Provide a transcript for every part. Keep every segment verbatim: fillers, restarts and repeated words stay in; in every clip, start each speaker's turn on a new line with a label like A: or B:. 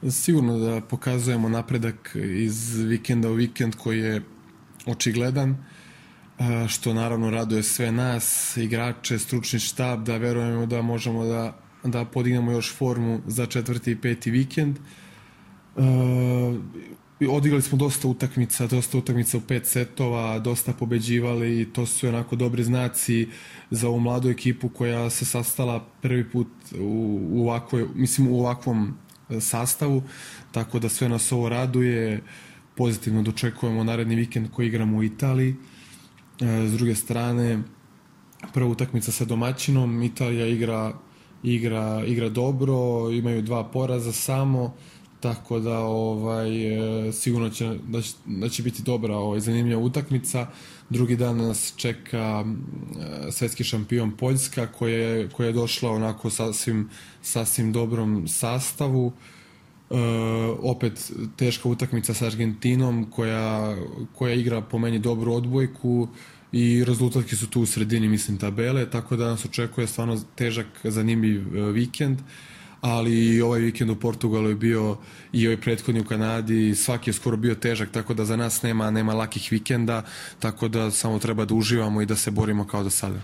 A: Sigurno da pokazujemo napredak iz vikenda u vikend koji je očigledan, što naravno raduje sve nas, igrače, stručni štab, da verujemo da možemo da, da podignemo još formu za četvrti i peti vikend. Uh, odigrali smo dosta utakmica, dosta utakmica u pet setova, dosta pobeđivali i to su onako dobri znaci za ovu mladu ekipu koja se sastala prvi put u, u, ovakvoj, mislim, u ovakvom sastavu, tako da sve nas ovo raduje. Pozitivno dočekujemo naredni vikend koji igramo u Italiji. S druge strane, prva utakmica sa domaćinom, Italija igra, igra, igra dobro, imaju dva poraza samo, tako da ovaj, sigurno će, da, će, da će biti dobra ovaj, zanimljiva utakmica. Drugi dan nas čeka svetski šampion Poljska koja je, koja je došla onako sasvim, sasvim dobrom sastavu. Uh, opet teška utakmica sa Argentinom koja, koja igra po meni dobru odbojku i rezultatki su tu u sredini, mislim, tabele, tako da nas očekuje stvarno težak, zanimljiv uh, vikend, ali ovaj vikend u Portugalu je bio i ovaj prethodni u Kanadi, svaki je skoro bio težak, tako da za nas nema, nema lakih vikenda, tako da samo treba da uživamo i da se borimo kao do sada.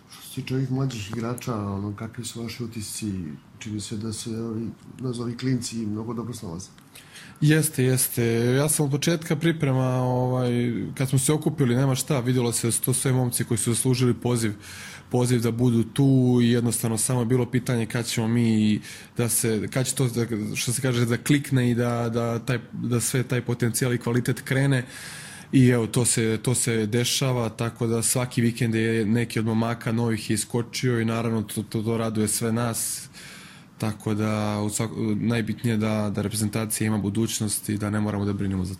B: Što se tiče ovih mlađih igrača, ono, kakvi su vaši utisci? Čini se da se ovi, nazovi klinci mnogo dobro snalaze.
A: Jeste, jeste. Ja sam od početka priprema, ovaj, kad smo se okupili, nema šta, vidjelo se da su to sve momci koji su zaslužili poziv, poziv da budu tu i jednostavno samo je bilo pitanje kad ćemo mi, da se, kad će to, da, što se kaže, da klikne i da, da, taj, da sve taj potencijal i kvalitet krene. I evo, to se, to se dešava, tako da svaki vikend je neki od momaka novih je iskočio i naravno to, to, to raduje sve nas. Tako da u svak, najbitnije da, da reprezentacija ima budućnost i da ne moramo da brinemo za to.